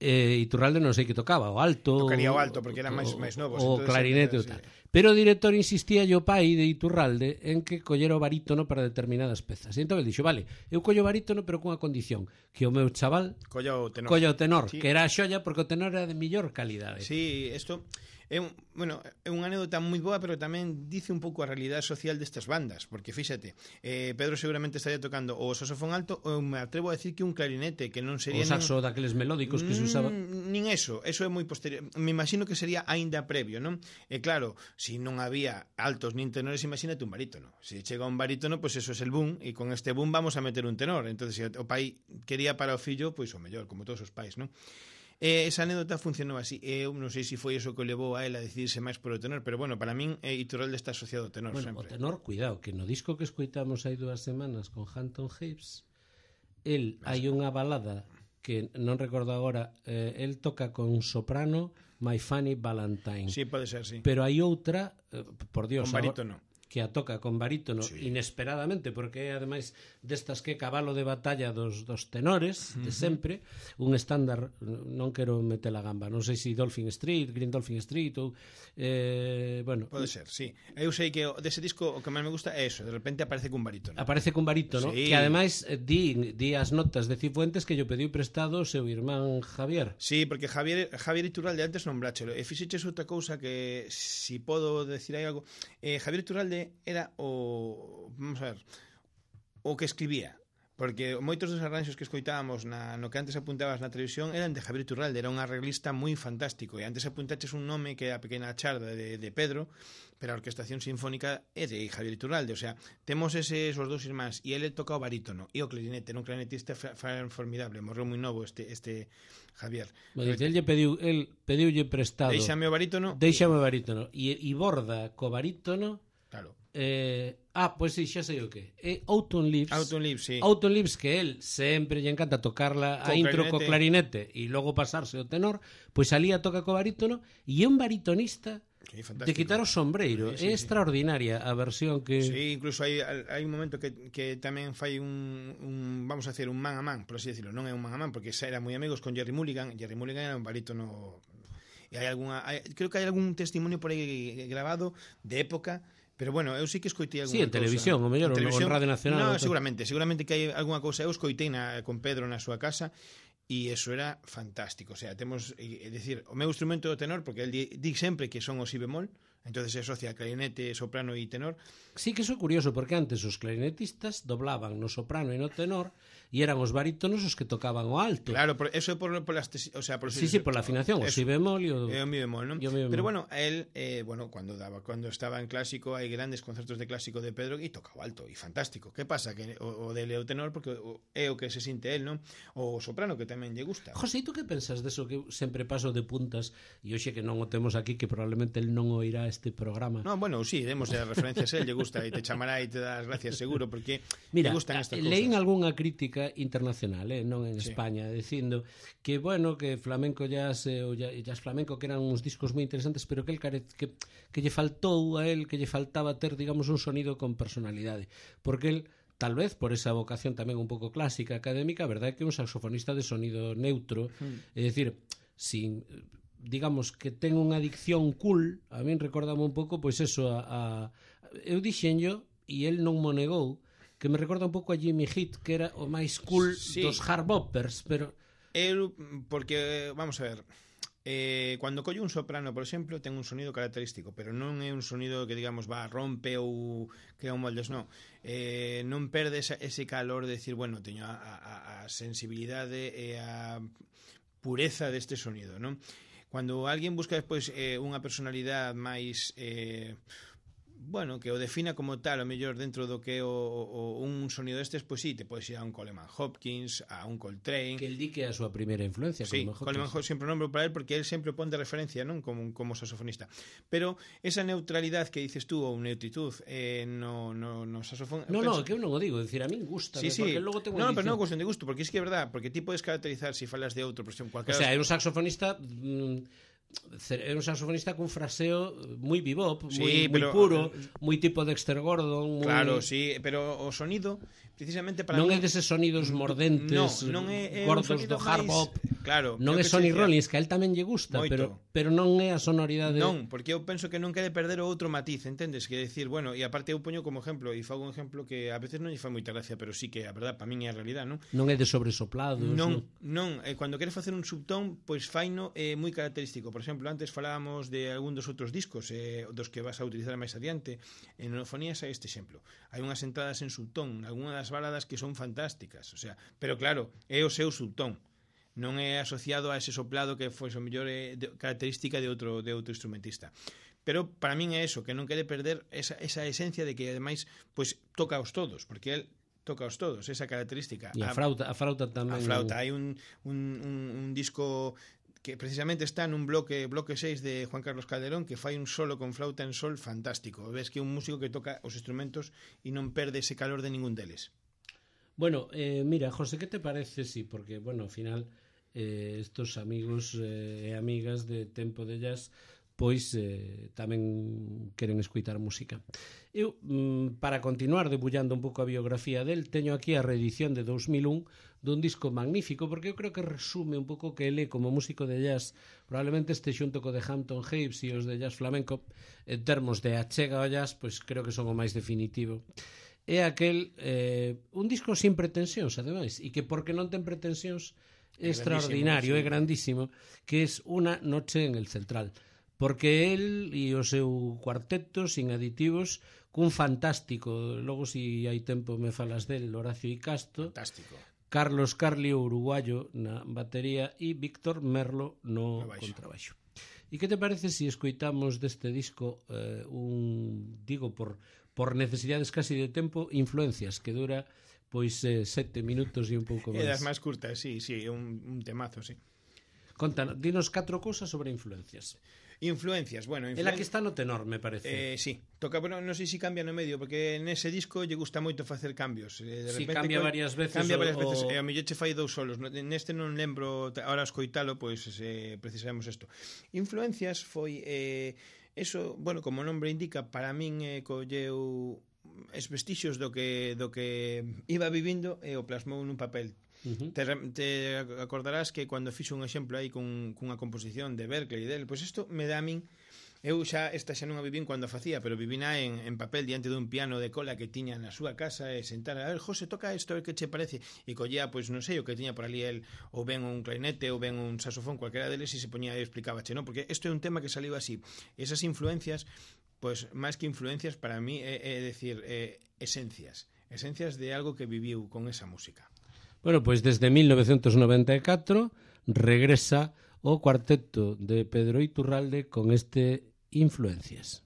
Eh, Iturralde non sei que tocaba, o alto, tocaría o alto porque eran máis máis novos, o clarinete ou sí. tal. Pero o director insistía o pai de Iturralde en que collera o barítono para determinadas pezas. E entón ele dixo, vale, eu collo o barítono pero cunha condición, que o meu chaval colla o tenor, colla o tenor sí. Que era a xolla porque o tenor era de mellor calidade. Sí, isto é un, bueno, é unha anécdota moi boa, pero tamén dice un pouco a realidade social destas bandas, porque fíxate, eh, Pedro seguramente estaría tocando o saxofón alto ou me atrevo a decir que un clarinete, que non sería o saxo nin... daqueles melódicos que se usaba. Nin eso, eso é moi posterior. Me imagino que sería aínda previo, non? E claro, se non había altos nin tenores, imagínate un barítono. Se chega un barítono, pois pues eso é el boom, e con este boom vamos a meter un tenor. Entonces, se o pai quería para o fillo, pois pues, o mellor, como todos os pais, non? E esa anécdota funcionou así. Eu non sei se foi eso que levou a ela a decidirse máis por o tenor, pero bueno, para min eh, Iturralde está asociado ao tenor, bueno, sempre. O tenor, cuidado, que no disco que escoitamos hai dúas semanas con Hampton Hips, el hai unha balada que non recordo agora, eh, el toca con soprano My Funny Valentine. Sí, pode ser, sí. Pero hai outra, eh, por Dios, con barítono. Que a toca con barítono, sí, inesperadamente, porque é ademais destas que cabalo de batalla dos, dos tenores de sempre, un estándar, non quero meter a gamba, non sei se Dolphin Street, Green Dolphin Street ou eh, bueno, pode ser, sí. Eu sei que dese disco o que máis me gusta é eso, de repente aparece cun barítono. Aparece cun barítono, sí, que ademais eh, di, di as notas de Cifuentes que yo pediu prestado o seu irmán Javier. Sí, porque Javier Javier Iturralde antes nombráchelo, e fixeches outra cousa que si podo decir aí algo, eh, Javier Iturralde era o, vamos a ver, o que escribía, porque moitos dos arranxos que escoitábamos na, no que antes apuntabas na televisión eran de Javier Iturralde, era un arreglista moi fantástico, e antes apuntaches un nome que é a Pequena Charda de, de Pedro, pero a orquestación sinfónica é de Javier Iturralde, o sea, temos eses os dous irmáns, e ele toca o barítono e o clarinete, non clarinetista formidable, morreu moi novo este este Javier. Bueno, el lle pediu, el pediulle prestado. Déixame o barítono. Déixame o barítono e, e borda co barítono. Claro. Eh, ah, pois pues, sí, xa sei o que. É Autumn Leaves. Autumn Leaves, sí. Autumn Leaves, que él sempre lle encanta tocarla a Co intro clarinete. co clarinete e logo pasarse o tenor, pois salía toca co barítono e é un baritonista Sí, de quitar o sombreiro. Sí, sí, é sí. extraordinaria a versión que... Sí, incluso hai, hai un momento que, que tamén fai un, un, vamos a hacer, un man a man, por así decirlo, non é un man a man, porque xa era moi amigos con Jerry Mulligan, Jerry Mulligan era un barítono, e hai alguna, hai, creo que hai algún testimonio por aí grabado de época. Pero bueno, eu sí que escoitei alguna Sí, en cousa. televisión, o mellor, ou en Radio Nacional. No, ou seguramente, seguramente que hai alguna cousa. Eu escoitei na, con Pedro na súa casa e eso era fantástico. O sea, temos, é dicir, o meu instrumento é o tenor, porque el di, di sempre que son o si bemol, entonces se asocia clarinete, soprano e tenor. Sí que iso é curioso, porque antes os clarinetistas doblaban no soprano e no tenor e eran os barítonos os que tocaban o alto. Claro, por, eso é por, por las, o sea, por Sí, sí, por la afinación, o si bemol e o... É o mi bemol, non? Mi bemol. Pero bueno, él, eh, bueno, cuando daba, cuando estaba en clásico, hai grandes concertos de clásico de Pedro e tocaba alto e fantástico. Que pasa? Que o, o dele é o tenor porque o, é o que se sinte él, non? O soprano que tamén lle gusta. José, e tú que pensas deso que eu sempre paso de puntas e hoxe que non o temos aquí, que probablemente el non oirá este programa? No, bueno, sí, demos as referencias a él, lle gusta e te chamará e te dá as gracias seguro porque Mira, lle gustan estas cousas. leín algunha crítica internacional, eh, non en Sí. España, dicindo que, bueno, que flamenco jazz eh, o jazz flamenco que eran uns discos moi interesantes, pero que el care, que, que lle faltou a él, que lle faltaba ter, digamos, un sonido con personalidade, porque el tal vez por esa vocación tamén un pouco clásica, académica, a verdade é que é un saxofonista de sonido neutro, mm. é dicir, sin, digamos, que ten unha dicción cool, a min recordame un pouco, pois eso, a, a eu dixenllo, e el non mo negou, que me recorda un pouco a Jimmy Heath, que era o máis cool Sí. dos hard boppers, pero... Eu, porque, vamos a ver, eh, cando collo un soprano, por exemplo, ten un sonido característico, pero non é un sonido que, digamos, va, rompe ou crea un moldes, non. Eh, non perde esa, ese calor de decir, bueno, teño a, a, a sensibilidade e a pureza deste sonido, non? Cando alguén busca despois eh, unha personalidade máis... Eh, bueno, que o defina como tal, o mellor dentro do que é o, o, un sonido destes, pois sí, te podes ir a un Coleman Hopkins, a un Coltrane. Que el di que é a súa primeira influencia. Sí, Coleman Hopkins sempre o nombro para él porque él sempre o pon de referencia, non, como, como saxofonista. Pero esa neutralidade que dices tú, ou neutritud, eh, no, no, no saxofón... No, penso... no, que eu non o digo, decir, a min gusta, sí, sí. porque logo tengo No, pero non é cuestión de gusto, porque é que é verdad, porque ti podes caracterizar se si falas de outro, por exemplo, O cualquiera... sea, é un saxofonista... Mm, é un saxofonista cun fraseo moi bebop, moi, sí, moi pero, puro, moi tipo Dexter Gordon, moi... Claro, sí, pero o sonido precisamente para non mí... é deses sonidos mordentes, no, non é, é gordos un do hard máis... bop. Claro, non é Sonny Rollins, que a él tamén lle gusta, Moito. pero pero non é a sonoridade. Non, porque eu penso que non quede perder o outro matiz, entendes? Que decir, bueno, e aparte eu poño como exemplo, e fago un exemplo que a veces non lle fai moita gracia, pero sí que a verdad para min é a realidad, non? Non é de sobresoplados, Non, non. non, eh, cando queres facer un subtón, pois faino é eh, moi característico. Por exemplo, antes falábamos de algún dos outros discos, eh, dos que vas a utilizar máis adiante. En Onofonías hai este exemplo. Hai unhas entradas en subtón, algunhas das baladas que son fantásticas, o sea, pero claro, é o seu subtón. Non é asociado a ese soplado que foi o mellor eh, de, característica de outro de outro instrumentista. Pero para min é eso, que non quere perder esa, esa esencia de que ademais pois toca aos todos, porque el toca aos todos, esa característica. E a flauta, a flauta tamén. A flauta, hai un, un, un, un disco que precisamente está nun bloque bloque seis de Juan Carlos Calderón que fai un solo con flauta en sol fantástico. Ves que é un músico que toca os instrumentos e non perde ese calor de ningún deles. Bueno, eh, mira, José, ¿qué te parece? Sí, porque, bueno, ao final eh, estos amigos e eh, amigas de Tempo de Jazz pois eh, tamén queren escuitar música. Eu, mm, para continuar debullando un pouco a biografía del, teño aquí a reedición de dos mil un dun disco magnífico, porque eu creo que resume un pouco que ele como músico de jazz probablemente este xunto co de Hampton Hapes e os de jazz flamenco en termos de achega ao jazz, pois creo que son o máis definitivo. É aquel eh, un disco sin pretensións, ademais, e que porque non ten pretensións é extraordinario, é grandísimo, que é Una noche en el Central, porque el e o seu cuarteto sin aditivos cun fantástico, logo si hai tempo me falas del, Horacio Icasto, fantástico. Carlos Carlio, uruguayo, na batería e Víctor Merlo no, no contrabaixo. E que te parece se si escoitamos deste disco eh, un, digo, por, por necesidades casi de tempo, Influencias, que dura pois eh, sete minutos e un pouco máis. É das máis curtas, sí, sí, é un, un temazo, sí. Contanos, dinos catro cousas sobre Influencias. Influencias, bueno, influen... Ela que está no tenor, me parece. Eh, sí, toca, bueno, non sei se cambia no medio, porque nese disco lle gusta moito facer cambios. Eh, de Si repente, cambia co... varias veces. Cambia varias o, veces, o... e ao mellor che fai dous solos. Neste non lembro, ahora escoitalo, pois eh, precisamos isto. Influencias foi... Eh, eso, bueno, como o nombre indica, para min eh, colleu es vestixios do que, do que iba vivindo e o plasmou nun papel. Uh-huh. te, te acordarás que cando fixo un exemplo aí con, cunha composición de Berkeley del, pois isto me dá a min, eu xa esta xa non a vivín cando a facía, pero vivina en, en papel diante dun piano de cola que tiña na súa casa e sentar, a ver, José, toca isto, a ver que che parece, e collía, pois non sei, o que tiña por ali el, ou ben un clarinete ou ben un saxofón, cualquera deles, e se poñía e explicabache, non? Porque isto é un tema que saliu así, esas influencias, pois máis que influencias para mí é, é decir, é, esencias esencias de algo que viviu con esa música. Bueno, pois desde mil novecientos noventa e catro regresa o cuarteto de Pedro Iturralde con este Influencias.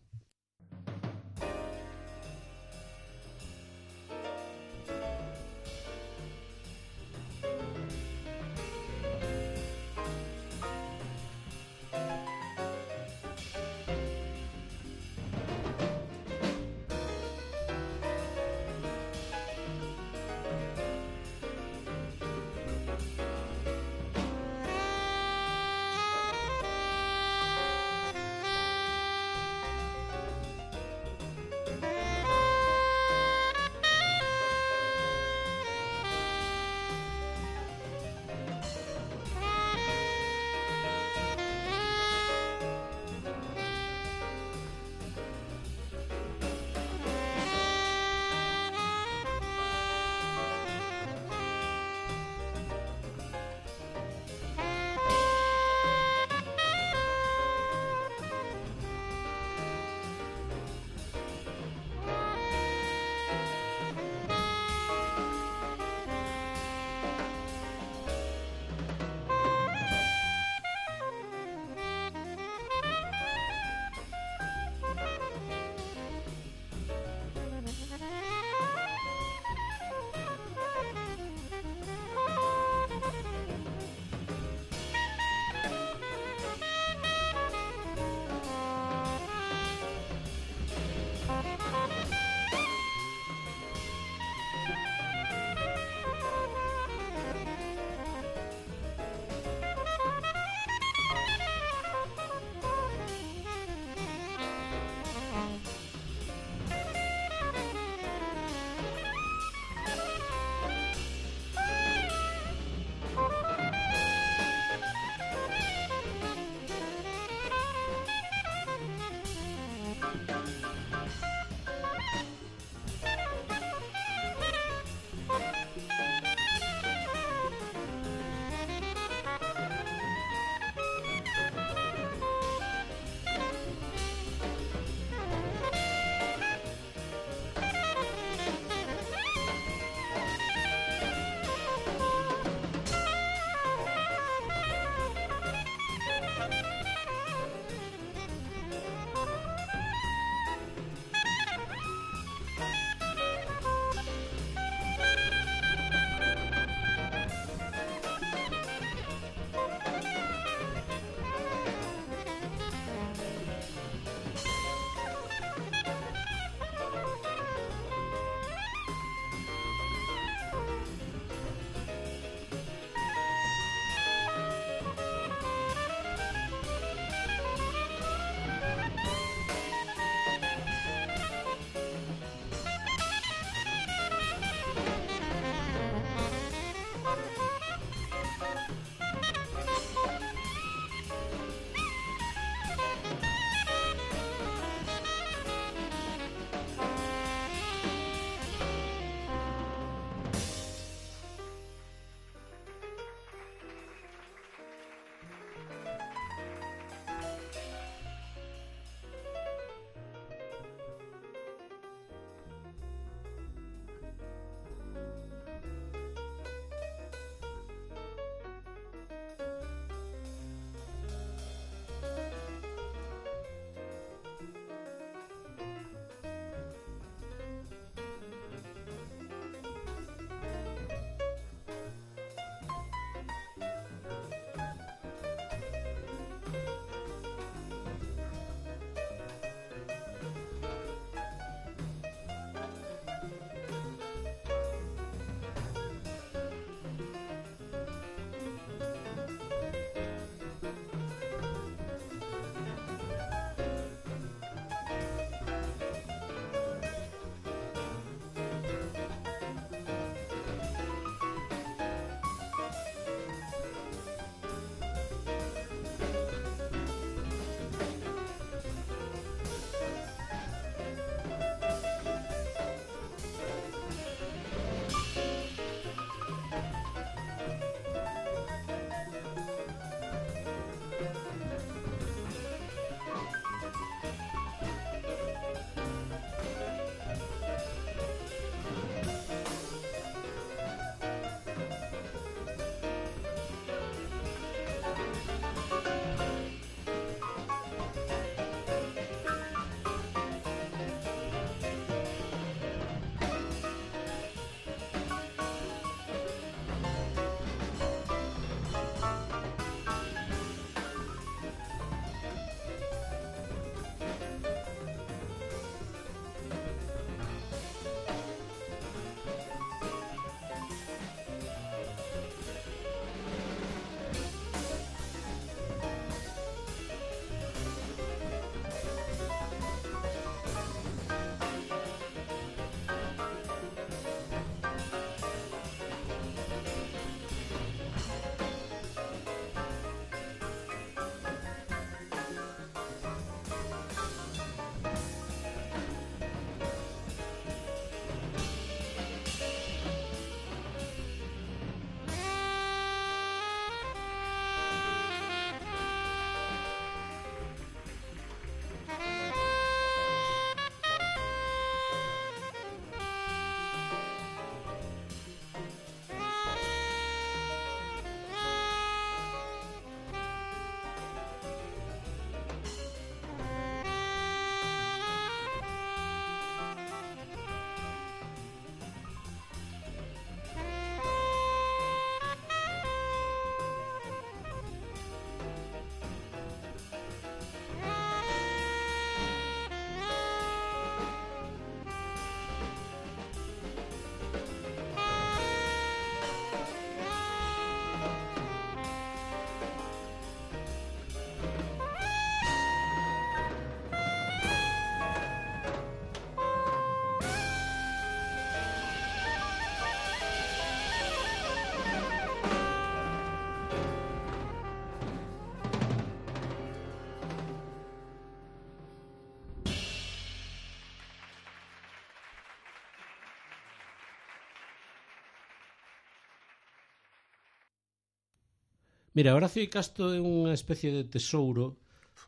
Mira, Horacio Icasto é unha especie de tesouro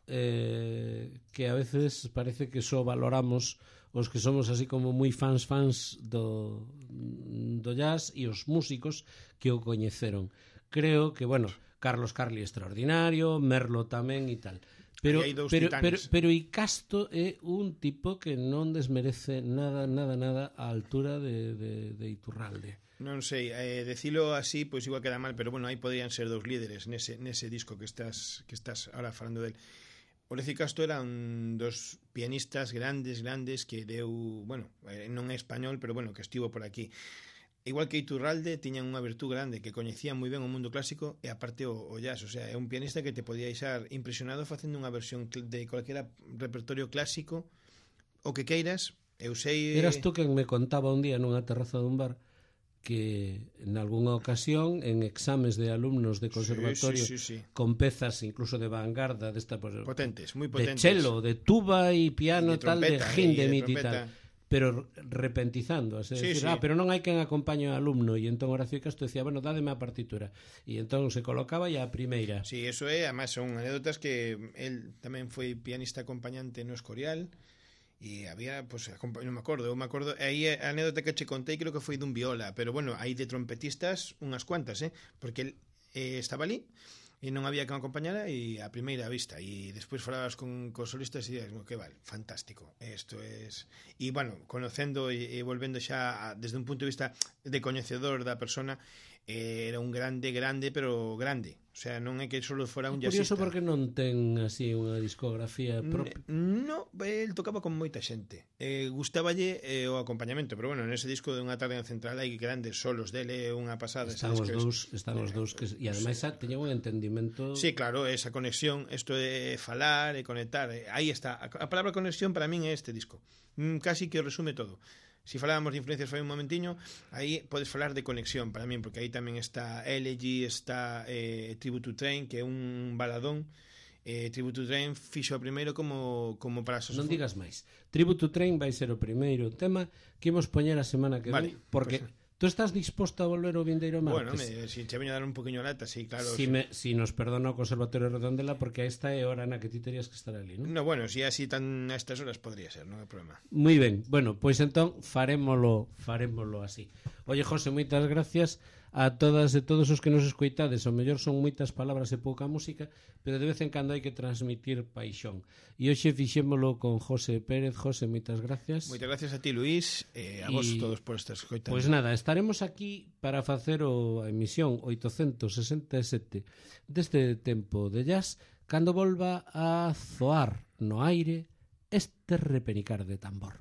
eh, que a veces parece que só valoramos os que somos así como moi fans fans do, do jazz e os músicos que o coñeceron. Creo que, bueno, Carlos Carli extraordinario, Merlo tamén e tal. Pero, pero, pero, pero Icasto é un tipo que non desmerece nada, nada, nada á altura de, de, de Iturralde. Non sei, eh, decilo así, pois igual queda mal, pero bueno, aí podrían ser dous líderes nese, nese disco que estás que estás ahora falando del. Horacio Icasto era un dos pianistas grandes, grandes que deu, bueno, eh, non é español, pero bueno, que estivo por aquí. Igual que Iturralde, tiñan unha virtud grande, que coñecía moi ben o mundo clásico e aparte o, o jazz, o sea, é un pianista que te podía deixar impresionado facendo unha versión de calquera repertorio clásico, o que queiras. Eu sei... Eras tú quen me contaba un día nunha terraza dun bar que en algunha ocasión en exames de alumnos de conservatorio sí, sí, sí, sí. con pezas incluso de vanguarda desta, pues, potentes, moi potentes, de cello, de tuba e piano de tal, de Hindemith e tal, pero repentizando, es sí, decir, sí. ah, pero non hai quen acompañe ao alumno, e entón Horacio Icasto decía, bueno, dádeme a partitura, e entón se colocaba e a primeira. Sí, eso é, además son anécdotas que el tamén foi pianista acompañante no Escorial. E había, pues, non me acordo, eu me acordo, aí a anécdota que che contei creo que foi dun viola, pero bueno, hai de trompetistas unhas cuantas, eh, porque el eh, estaba ali e non había que acompañara e a primeira vista, e despois falabas con, con solistas e dices, que vale, fantástico, isto es... E bueno, conocendo e, e volvendo xa a, desde un punto de vista de coñecedor da persona, eh, era un grande, grande, pero grande. O sea, non é que só fora un jazzista. Curioso porque non ten así unha discografía propia. No, el tocaba con moita xente. Eh, gustáballe eh, o acompañamento, pero bueno, nese disco de Unha tarde en Central hai grandes solos dele, unha pasada. Están os dous, están os dous que e ademais sí. Teñen un entendimento. Sí, claro, esa conexión, isto de falar e conectar, aí está. A palabra conexión para min é este disco. Casi que o resume todo. Si falábamos de influencias fai un momentiño, aí podes falar de conexión para min, porque aí tamén está Elegy, está eh, Tribute to Train, que é un baladón. eh, Tribute to Train fixo o primeiro como, como para saxofón. Non digas máis. Tribute to Train vai ser o primeiro tema que imos poñer a semana que vale, ven, porque... Pues... Tú estás disposto a volver o vindeiro martes? Bueno, me, si che veño a dar un poquinho lata, sí, claro. Si, sí. me, si nos perdona o Conservatorio Redondela, porque esta é hora na que ti terías que estar ali, non? No, bueno, si así tan a estas horas podría ser, non hai problema. Moi ben, bueno, pois entón farémolo, farémolo así. Oye, José, moitas gracias a todas e todos os que nos escoitades. O mellor son moitas palabras e pouca música, pero de vez en cando hai que transmitir paixón. E hoxe fixémolo con José Pérez. José, moitas gracias. Moitas gracias a ti, Luís, e a vos todos por estar escoitando. Pois pues nada, estaremos aquí para facer o, a emisión oitocentos sesenta e sete deste tempo de jazz, cando volva a zoar no aire este repenicar de tambor.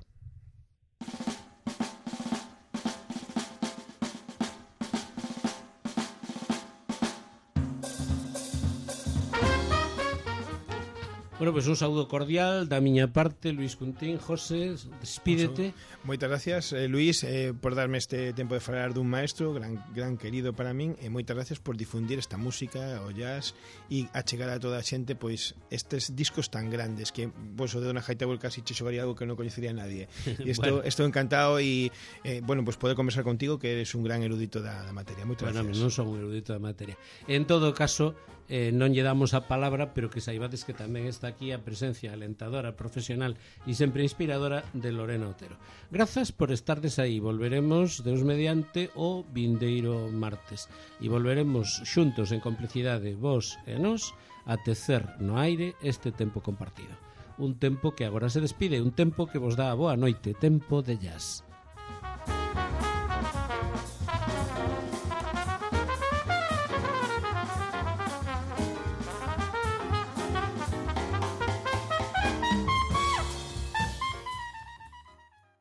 Bueno, pois pues un saúdo cordial da miña parte, Luís Cuntín. José, despídete. Moitas gracias, eh, Luís, eh, por darme este tempo de falar dun maestro gran, gran querido para min, e moitas gracias por difundir esta música, o jazz, e achegar a toda a xente pois estes discos tan grandes que vos o de Dona Hightower casi che xogaría algo que non coñecería nadie. E isto, bueno. Estou encantado e, eh, bueno, pois poder conversar contigo, que eres un gran erudito da, da materia. Moitas bueno, gracias. Non son un erudito da materia. En todo caso, eh, non lle damos a palabra, pero que saibades que tamén está aquí a presencia alentadora, profesional e sempre inspiradora de Lorena Otero. Grazas por estardes aí. Volveremos, Deus mediante, o vindeiro martes. E volveremos xuntos en complicidade, vos e nós, a tecer no aire este tempo compartido. Un tempo que agora se despide, un tempo que vos dá a boa noite, tempo de jazz.